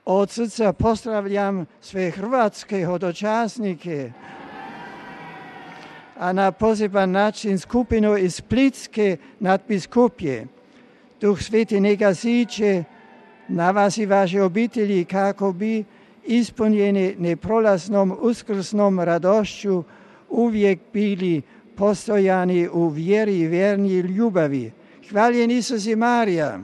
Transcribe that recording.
Od srca pozdravljam sve hrvatske hodočasnike, a na poseban način skupinu iz Splitske nadbiskupije. Duh Sveti neka siđe na vas i vaše obitelji kako bi ispunjeni neprolaznom uskrsnom radošću uvijek bili postojani u vjeri i vjerni ljubavi. Hvaljen Isus i Marija.